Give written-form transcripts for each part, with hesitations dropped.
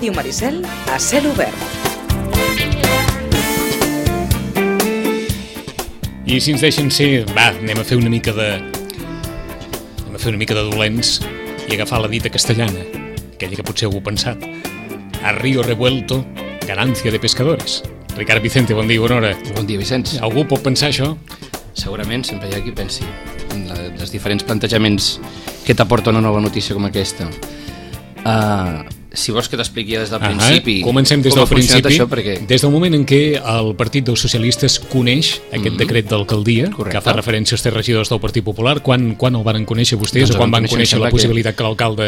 Ràdio Maricel a cel obert. I si ens deixen ser, anem a fer una mica de dolents i agafar la dita castellana, aquella que potser algú ha pensat. A río revuelto, ganancia de pescadores. Ricard Vicente, bon dia, bona hora. Bon dia, Vicenç. Algú pot pensar això? Segurament, sempre hi ha qui pensi en els diferents plantejaments que t'aporta una nova notícia com aquesta. Si vols que t'expliqui des del principi comencem des del principi, això, perquè... des del moment en què el Partit dels Socialistes coneix aquest decret d'alcaldia, que fa referència als 3 regidors del Partit Popular. Quan el van conèixer vostès, o quan van conèixer la possibilitat que l'alcalde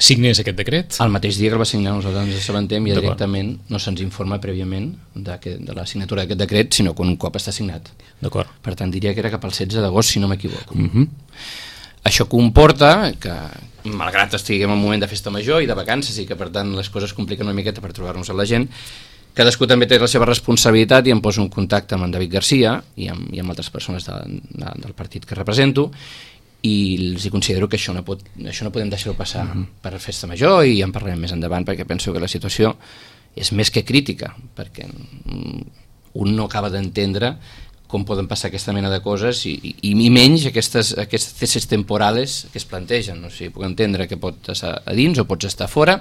signés aquest decret? El mateix dia que el va signar, nosaltres ens assabentem i directament no se'ns informa prèviament de la signatura d'aquest decret, sinó que un cop està signat. D'acord. Per tant, diria que era cap al 16 d'agost, si no m'equivoco. Això comporta que, malgrat estiguem en un moment de festa major i de vacances i que per tant les coses compliquen una miqueta per trobar-nos amb la gent, cadascú també té la seva responsabilitat i em poso en contacte amb en David Garcia i amb altres persones del partit que represento i els considero que això no podem deixar-ho passar per festa major, i en parlarem més endavant, perquè penso que la situació és més que crítica, perquè un no acaba d'entendre com poden passar aquesta mena de coses i menys aquestes tesis temporales que es plantegen. O sigui, puc entendre que pots estar a dins o pots estar fora,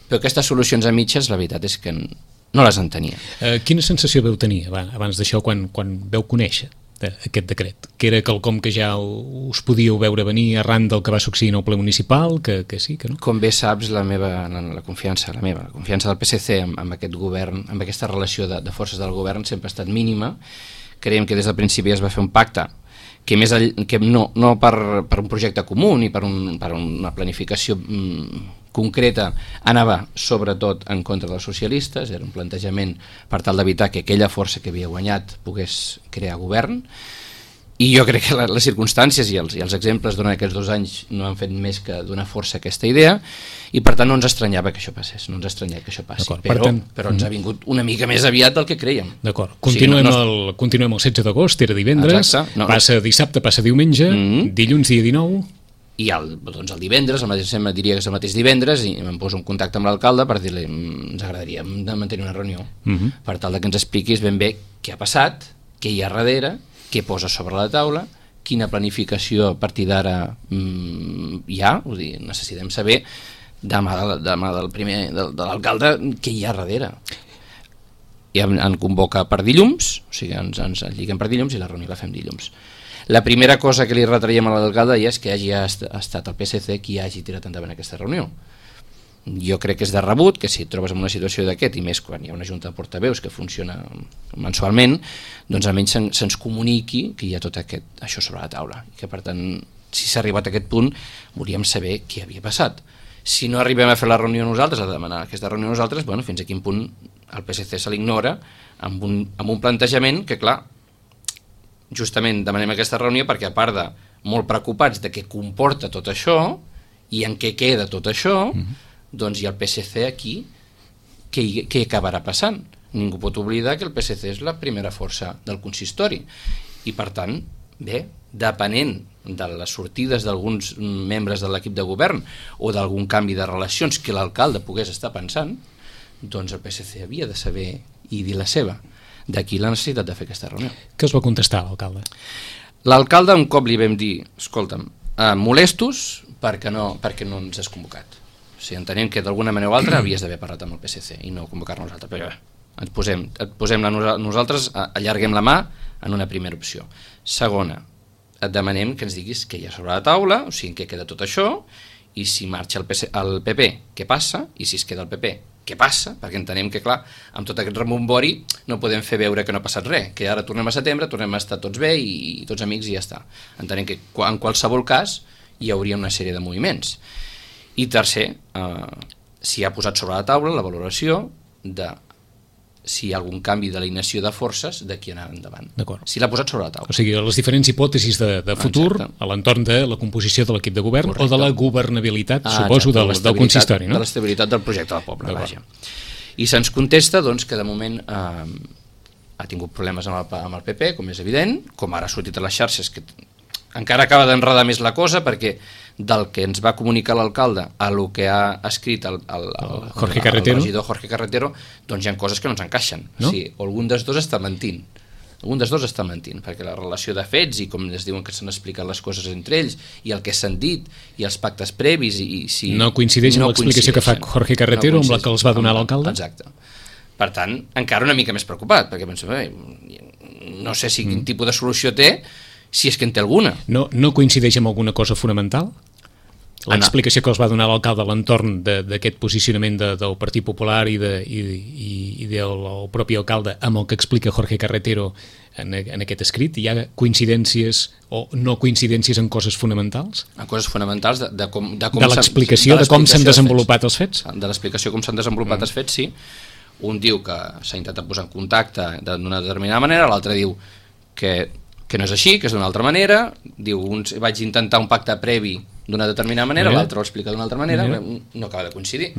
però aquestes solucions a mitges, la veritat és que no les entenia. Quina sensació veu tenir abans d'això, quan veu conèixer aquest decret? Que era quelcom que ja us podíeu veure venir arran del que va succeir en el ple municipal, que sí, que no? Com bé saps, la confiança del PSC amb aquest govern, amb aquesta relació de forces del govern sempre ha estat mínima. Creiem que des del principi es va fer un pacte que no per un projecte comú ni per una planificació concreta anava sobretot en contra dels socialistes, era un plantejament per tal d'evitar que aquella força que havia guanyat pogués crear govern. I jo crec que les circumstàncies i els exemples durant aquests 2 anys no han fet més que donar força a aquesta idea, i per tant no ens estranyava que això passés, no ens estranyava que això passi, però ens ha vingut una mica més aviat del que creiem. D'acord, continuem el 16 d'agost, era divendres, passa dissabte, passa diumenge, dilluns dia 19... I el divendres, diria que és el mateix divendres, i em poso en contacte amb l'alcalde per dir-li ens agradaria mantenir una reunió per tal que ens expliquis ben bé què ha passat, què hi ha darrere, què posa sobre la taula, quina planificació a partir d'ara hi ha. Vull dir, necessitem saber de mà de l'alcalde què hi ha darrere. I en convoca per dilluns, o sigui, ens lliguem per dilluns i la reunió la fem dilluns. La primera cosa que li retraiem a l'alcalde ja és que hagi estat el PSC qui hagi tirat endavant aquesta reunió. Jo crec que és de rebut que si et trobes en una situació d'aquest, i més quan hi ha una junta de portaveus que funciona mensualment, doncs almenys se'ns comuniqui que hi ha tot això sobre la taula, i que per tant, si s'ha arribat a aquest punt, volíem saber què havia passat. Si no arribem a fer la reunió nosaltres, a demanar aquesta reunió nosaltres, fins a quin punt el PSC se l'ignora amb un plantejament que, clar, justament demanem aquesta reunió perquè, a part de molt preocupats de què comporta tot això i en què queda tot això, doncs hi ha el PSC aquí, què acabarà passant? Ningú pot oblidar que el PSC és la primera força del consistori, i per tant, bé, depenent de les sortides d'alguns membres de l'equip de govern o d'algun canvi de relacions que l'alcalde pogués estar pensant, doncs el PSC havia de saber i dir la seva. D'aquí la necessitat de fer aquesta reunió. Què us va contestar l'alcalde? L'alcalde, un cop li vam dir, escolta'm, molestos perquè no ens has convocat. O sigui, entenem que d'alguna manera o altra havies d'haver parlat amb el PSC i no convocar-nos nosaltres, però et posem nosaltres, allarguem la mà en una primera opció. Segona, et demanem que ens diguis què hi ha sobre la taula, o sigui, en què queda tot això, i si marxa el PP, què passa, i si es queda el PP, què passa, perquè entenem que, clar, amb tot aquest rebombori no podem fer veure que no ha passat res, que ara tornem a setembre, tornem a estar tots bé i tots amics i ja està. Entenem que en qualsevol cas hi hauria una sèrie de moviments. I tercer, si ha posat sobre la taula la valoració de si hi ha algun canvi d'alineació de forces d'aquí anar endavant. Si l'ha posat sobre la taula. O sigui, les diferents hipòtesis de futur a l'entorn de la composició de l'equip de govern. Correcte. O de la governabilitat, suposo, del consistori, no? De l'estabilitat del projecte del poble, vaja. I se'ns contesta doncs, que de moment ha tingut problemes amb el PP, com és evident, com ara ha sortit a les xarxes que encara acaba d'enredar més la cosa, perquè del que ens va comunicar l'alcalde a lo que ha escrit el regidor Jorge Carretero, doncs hi ha coses que no ens encaixen. No? Sí, o algun dels dos està mentint. Perquè la relació de fets i com es diuen que s'han explicat les coses entre ells i el que s'han dit i els pactes previs i si no coincideix amb l'explicació que fa Jorge Carretero amb la que els va donar l'alcalde? Exacte. Per tant, encara una mica més preocupat, perquè penso, no sé si quin tipus de solució té, si és que en té alguna. No coincideix amb alguna cosa fonamental? L'explicació que els va donar l'alcalde a l'entorn d'aquest posicionament del Partit Popular i del propi alcalde amb el que explica Jorge Carretero en aquest escrit, hi ha coincidències o no coincidències en coses fonamentals? En coses fonamentals de com l'explicació de com s'han desenvolupat els fets? De l'explicació com s'han desenvolupat els fets, sí. Un diu que s'ha intentat posar en contacte d'una determinada manera, l'altre diu que no és així, que és d'una altra manera, diu, vaig intentar un pacte previ d'una determinada manera, l'altre ho explica d'una altra manera, no acaba de coincidir,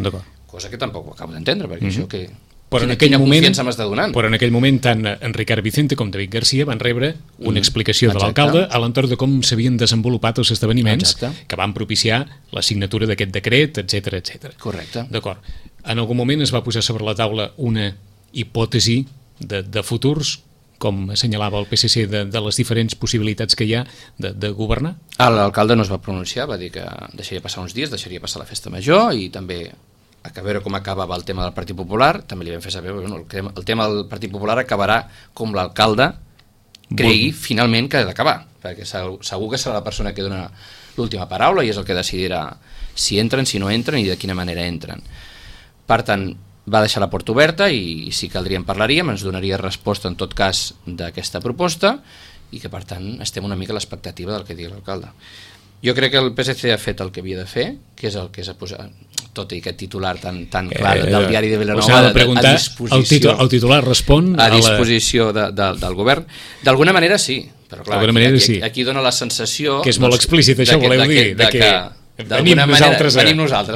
cosa que tampoc ho acabo d'entendre, perquè això que... Quina confiança m'està donant? Però en aquell moment tant en Ricard Vicente com David Garcia van rebre una explicació de l'alcalde a l'entorn de com s'havien desenvolupat els esdeveniments que van propiciar la signatura d'aquest decret, etc. Correcte. D'acord. En algun moment es va posar sobre la taula una hipòtesi de futurs, com assenyalava el PSC, de les diferents possibilitats que hi ha de governar? L'alcalde no es va pronunciar, va dir que deixaria passar uns dies, deixaria passar la festa major i també a veure com acabava el tema del Partit Popular. També li vam fer saber, el tema del Partit Popular acabarà com l'alcalde cregui finalment que ha d'acabar, perquè segur que serà la persona que dona l'última paraula i és el que decidirà si entren, si no entren i de quina manera entren. Per tant, va deixar la porta oberta i si caldria en parlaríem, ens donaria resposta en tot cas d'aquesta proposta i que per tant estem una mica a l'expectativa del que digui l'alcalde. Jo crec que el PSC ha fet el que havia de fer, que és el que s'ha posat, tot i aquest titular tan clar del diari de Vilanova a disposició. El titular respon a disposició del govern. D'alguna manera sí, però clar, aquí dona la sensació que és molt explícit, això voleu dir, venim nosaltres,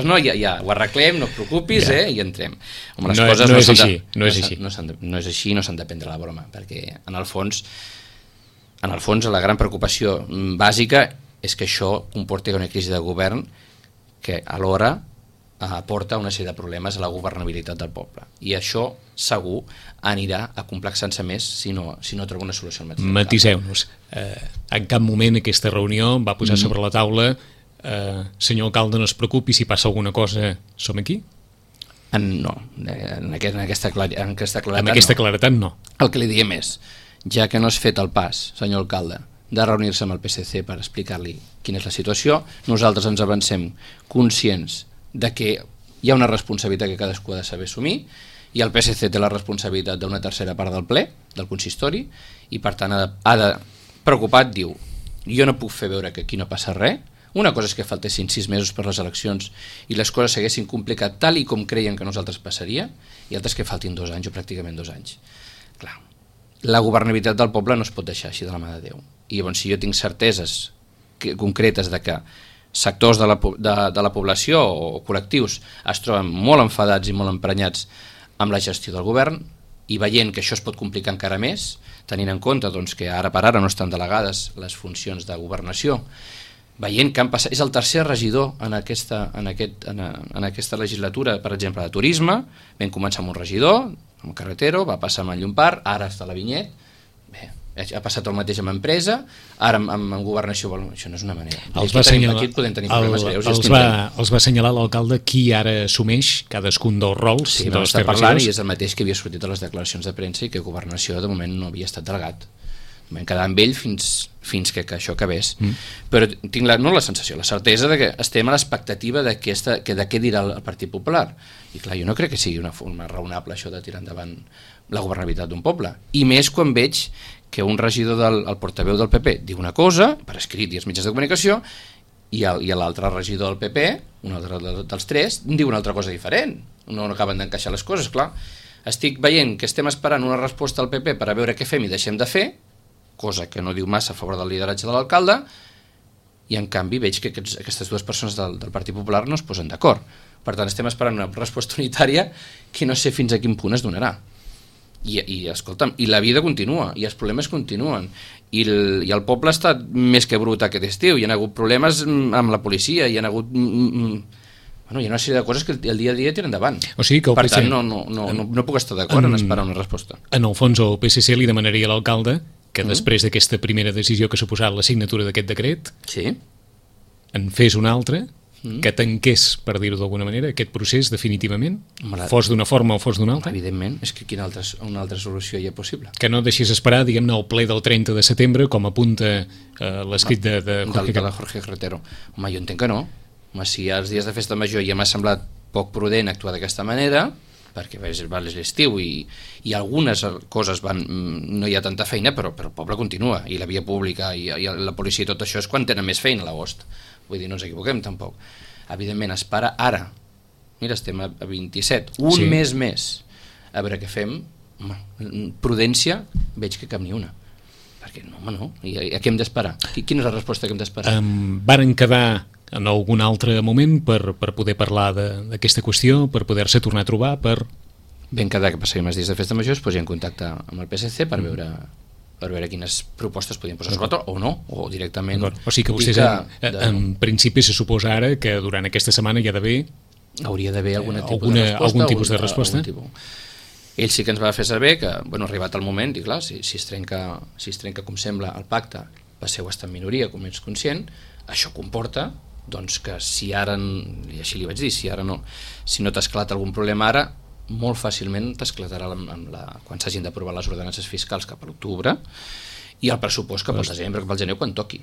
no? Ja ho arreglem, no et preocupis, i entrem. Home, les coses no és així. No és així, no s'han de prendre la broma, perquè en el fons la gran preocupació bàsica és que això comporti una crisi de govern que alhora aporta una sèrie de problemes a la governabilitat del poble. I això segur anirà a complexar-se més si no troba una solució al mateix. Matiseu-nos. En cap moment aquesta reunió va posar sobre la taula senyor alcalde, no es preocupi, si passa alguna cosa som aquí? No, en aquesta claretat no. El que li diem és, ja que no has fet el pas, senyor alcalde, de reunir-se amb el PSC per explicar-li quina és la situació, nosaltres ens avancem conscients de que hi ha una responsabilitat que cadascú ha de saber assumir i el PSC té la responsabilitat d'una tercera part del ple, del consistori, i per tant preocupat diu, jo no puc fer veure que aquí no passa res. Una cosa és que faltessin 6 mesos per les eleccions i les coses s'haguessin complicat tal i com creien que nosaltres passaria, i altres que faltin 2 anys o pràcticament 2 anys. Clar, la governabilitat del poble no es pot deixar així de la mà de Déu. I llavors, si jo tinc certeses concretes de que sectors de la població o col·lectius es troben molt enfadats i molt emprenyats amb la gestió del govern i veient que això es pot complicar encara més, tenint en compte doncs, que ara per ara no estan delegades les funcions de governació, veient que han passat, és el tercer regidor en aquesta legislatura, per exemple, de turisme, vam començar amb un regidor, amb Carretero, va passar amb el Llompart, ara està la Vinyet, bé, ha passat el mateix amb empresa, ara amb governació, això no és una manera. Aquí podem tenir problemes greus. Els va assenyalar l'alcalde qui ara assumeix cadascun dels rols. Sí, vam estar parlant i és el mateix que havia sortit a les declaracions de premsa i que governació de moment no havia estat delegat. Vam quedar amb ell fins que això acabés. Però tinc no la sensació, la certesa de que estem a l'expectativa de què dirà el Partit Popular. I clar, jo no crec que sigui una forma raonable això de tirar endavant la governabilitat d'un poble. I més quan veig que un regidor el portaveu del PP diu una cosa, per escrit i els mitjans de comunicació, i l'altre regidor del PP, un altre dels tres, diu una altra cosa diferent. No acaben d'encaixar les coses, clar. Estic veient que estem esperant una resposta al PP per a veure què fem i deixem de fer, cosa que no diu massa a favor del lideratge de l'alcalde, i en canvi veig que aquestes dues persones del Partit Popular no es posen d'acord. Per tant, estem esperant una resposta unitària que no sé fins a quin punt es donarà. escolta'm, i la vida continua, i els problemes continuen, i el poble està més que brut aquest estiu, hi ha hagut problemes amb la policia, hi ha hagut... Bueno, hi ha una sèrie de coses que el dia a dia tiren endavant. O sigui que per tant, no puc estar d'acord en esperar una resposta. En el fons, el PSC li demanaria a l'alcalde que després d'aquesta primera decisió que ha suposat la signatura d'aquest decret, en fes una altra, que tanqués, per dir-ho d'alguna manera, aquest procés definitivament, fos d'una forma o fos d'una altra. Evidentment, és que una altra solució hi ha possible. Que no deixis esperar, diguem-ne, el ple del 30 de setembre, com apunta l'escrit de Jorge Carretero. Home, jo entenc que no. Home, si als dies de festa major ja m'ha semblat poc prudent actuar d'aquesta manera, perquè és l'estiu i algunes coses no hi ha tanta feina, però el poble continua, i la via pública i la policia i tot això és quan tenen més feina a l'agost. Vull dir, no ens equivoquem tampoc. Evidentment, es para ara. Mira, estem a 27, mes més. A veure què fem. Home, prudència, veig que cap ni una. Perquè no. I a què hem d'esperar? Quina és la resposta que hem d'esperar? Varen quedar en algun altre moment per poder parlar d'aquesta qüestió, per poder-se tornar a trobar, Ben quedar que passaríem els dies de festa major, es posi en contacte amb el PSC per veure quines propostes podien posar sobre o no, o directament... O sigui que vostès, en principi, se suposa ara que durant aquesta setmana hi ha d'haver... Hauria d'haver algun tipus de resposta. Ell sí que ens va fer saber que, arribat el moment, i clar, si es trenca, com sembla, el pacte, passeu a estar en minoria, com ets conscient, això comporta doncs que si ara, i així li vaig dir, si no t'ha esclat algun problema ara, molt fàcilment t'esclatarà quan s'hagin d'aprovar les ordenances fiscals cap a l'octubre i el pressupost cap al desembre, cap al gener, quan toqui.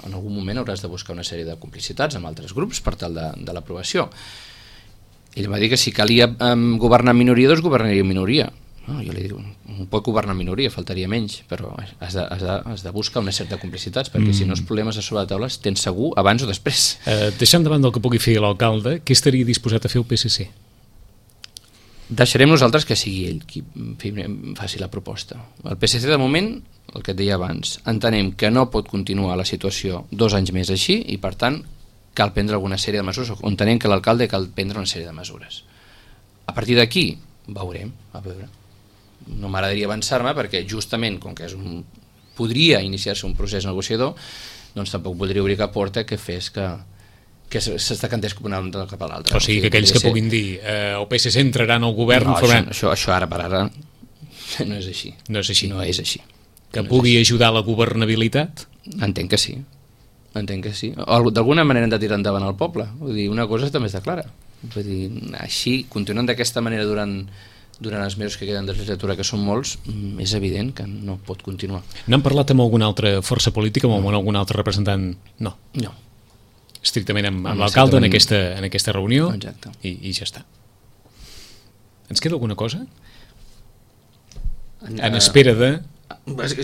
En algun moment hauràs de buscar una sèrie de complicitats amb altres grups per tal de l'aprovació. Ell va dir que si calia governar en minoria, doncs governaria en minoria. Jo li dic, no pot governar en minoria, faltaria menys, però has de buscar una certa complicitats, perquè si no els problemes a sobre la taula els tens segur abans o després. Deixant davant del que pugui fer l'alcalde, què estaria disposat a fer el PSC? Deixarem nosaltres que sigui ell qui faci la proposta. El PSC, de moment, el que et deia abans, entenem que no pot continuar la situació 2 anys més així i, per tant, cal prendre alguna sèrie de mesures, o entenem que l'alcalde cal prendre una sèrie de mesures. A partir d'aquí, veurem, a veure. No m'agradaria avançar-me perquè justament com que podria iniciar-se un procés negociador, doncs tampoc voldria obrir cap porta que fes que s'està cantés cap a l'altre. O sigui que aquells que puguin dir el PSC entrarà en el govern... No, això ara per ara no és així. No és així. No és així. Que pugui ajudar a la governabilitat? Entenc que sí. D'alguna manera hem de tirar endavant el poble. Vull dir, una cosa també està clara. Vull dir, així, continuant d'aquesta manera durant els mesos que queden de legislatura, que són molts, és evident que no pot continuar. N'han parlat amb alguna altra força política o amb algun altre representant? No. Estrictament amb l'alcalde en aquesta reunió. Exacte. I ja està. Ens queda alguna cosa? En espera de...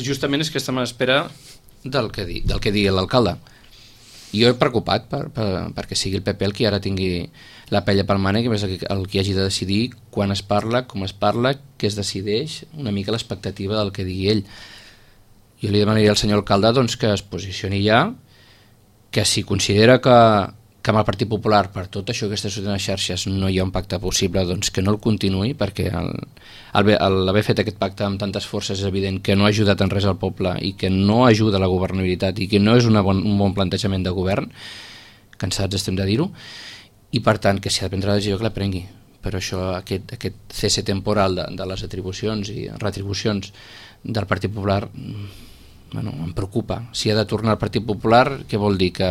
Justament és que estem en espera del que digui l'alcalde. Jo he preocupat perquè sigui el PP el qui ara tingui la pella pel mànec, que és el qui hagi de decidir quan es parla, com es parla, què es decideix, una mica l'expectativa del que digui ell. Jo li demanaria al senyor alcalde doncs, que es posicioni ja, que si considera que amb el Partit Popular per tot això que està sortint a les xarxes no hi ha un pacte possible, doncs que no el continuï, perquè l'haver fet aquest pacte amb tantes forces és evident que no ha ajudat en res al poble i que no ajuda a la governabilitat i que no és un bon plantejament de govern, cansats estem de dir-ho, i per tant que si ha de prendre la decisió que la prengui. Però això, aquest cese temporal de les atribucions i retribucions del Partit Popular em preocupa. Si ha de tornar al Partit Popular, què vol dir? Que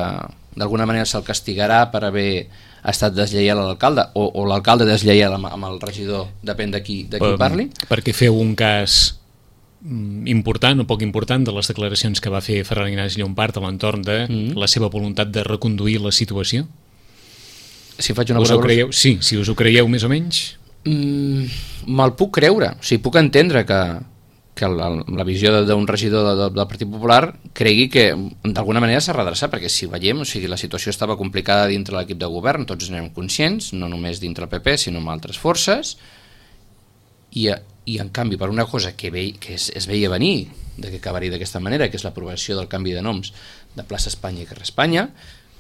d'alguna manera se'l castigarà per haver estat deslleial a l'alcalde o l'alcalde deslleial amb el regidor, depèn de qui parli? Perquè feu un cas important o poc important de les declaracions que va fer Ferran Ignasi Llompart a l'entorn de la seva voluntat de reconduir la situació? Si faig una cosa... Sí, si us ho creieu més o menys? Me'l puc creure, o sigui, puc entendre que la visió d'un regidor del Partit Popular cregui que d'alguna manera s'ha redreçat, perquè si veiem, o sigui, la situació estava complicada dintre l'equip de govern, tots n'érem conscients, no només dintre el PP sinó amb altres forces, i en canvi per una cosa que es veia venir de que acabaria d'aquesta manera, que és l'aprovació del canvi de noms de plaça Espanya i carrer Espanya,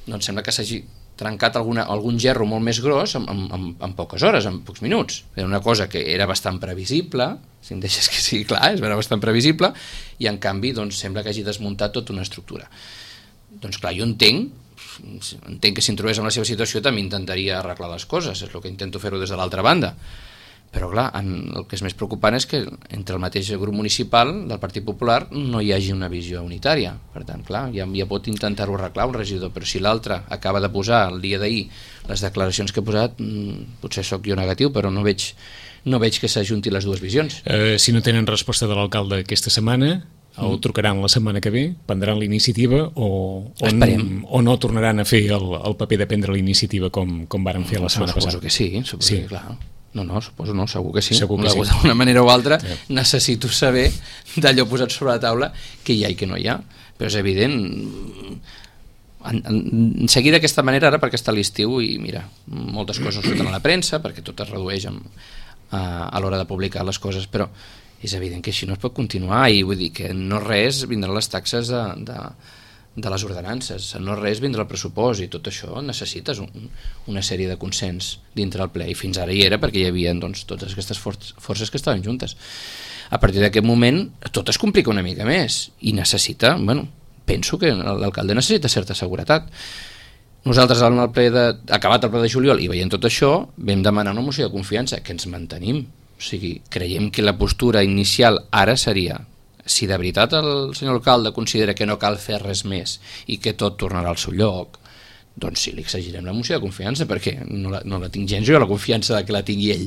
doncs sembla que s'hagi trencat algun gerro molt més gros en poques hores, en pocs minuts. Era una cosa que era bastant previsible, si em deixes que sigui clar, és bastant previsible, i en canvi doncs, sembla que hagi desmuntat tota una estructura. Doncs clar, jo entenc que si em trobés en la seva situació també intentaria arreglar les coses, és el que intento fer-ho des de l'altra banda. Però clar, el que és més preocupant és que entre el mateix grup municipal del Partit Popular no hi hagi una visió unitària. Per tant, clar, ja pot intentar-ho arreglar un regidor, però si l'altre acaba de posar el dia d'ahir les declaracions que he posat, potser sóc jo negatiu, però no veig que s'ajunti les dues visions. Si no tenen resposta de l'alcalde aquesta setmana, o trucaran la setmana que ve, prendran la iniciativa o no tornaran a fer el paper de prendre la iniciativa com varen fer la setmana passada? Suposo que sí, que clar. No, suposo no, segur que sí. D'una manera o altra necessito saber d'allò posat sobre la taula que hi ha i que no hi ha. Però és evident, seguir d'aquesta manera ara perquè està l'estiu i mira, moltes coses surten a la premsa perquè tot es redueix a l'hora de publicar les coses, però és evident que així no es pot continuar i vull dir que no res vindran les taxes de les ordenances, no res vindrà el pressupost i tot això necessites una sèrie de consens dintre el ple i fins ara hi era perquè hi havia doncs, totes aquestes forces que estaven juntes. A partir d'aquest moment tot es complica una mica més i necessita, penso que l'alcalde necessita certa seguretat. Nosaltres acabat el ple de juliol i veient tot això vam demanar una moció de confiança que ens mantenim, o sigui, creiem que la postura inicial ara seria si de veritat el senyor alcalde considera que no cal fer res més i que tot tornarà al seu lloc, doncs sí, li exigirem la moció de confiança perquè no la tinc gens jo, la confiança que la tingui ell.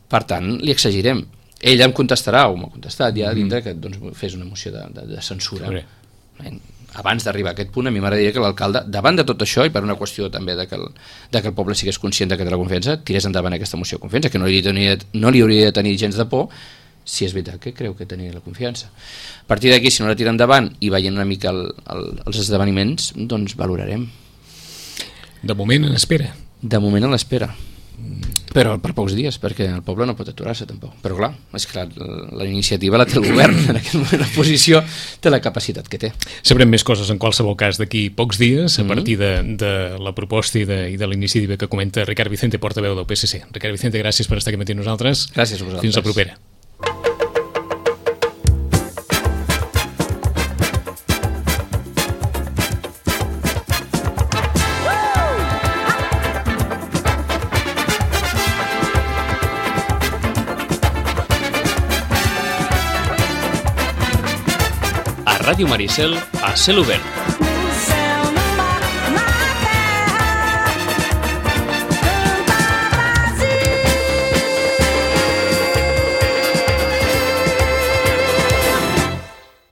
Per tant, li exigirem. Ell em contestarà, o m'ha contestat ja dintre que doncs, fes una moció de censura. Abans d'arribar a aquest punt, a mi m'agradaria que l'alcalde, davant de tot això i per una qüestió també de que el poble sigués conscient que té la confiança, tirés endavant aquesta moció de confiança, que no li hauria de tenir gens de por si és veritat que creu que tenia la confiança. A partir d'aquí, si no la tira endavant i veient una mica els esdeveniments, doncs valorarem. De moment en espera. De moment en l'espera. Però per pocs dies, perquè el poble no pot aturar-se tampoc. Però clar, és clar, la iniciativa la té el govern, en aquest moment la posició té la capacitat que té. Sabrem més coses en qualsevol cas d'aquí pocs dies, a partir de la proposta i de la iniciativa que comenta Ricard Vicente, portaveu del PSC. Ricard Vicente, gràcies per estar aquí amb nosaltres. Gràcies a vosaltres. Fins la propera. Ràdio Maricel a cel obert.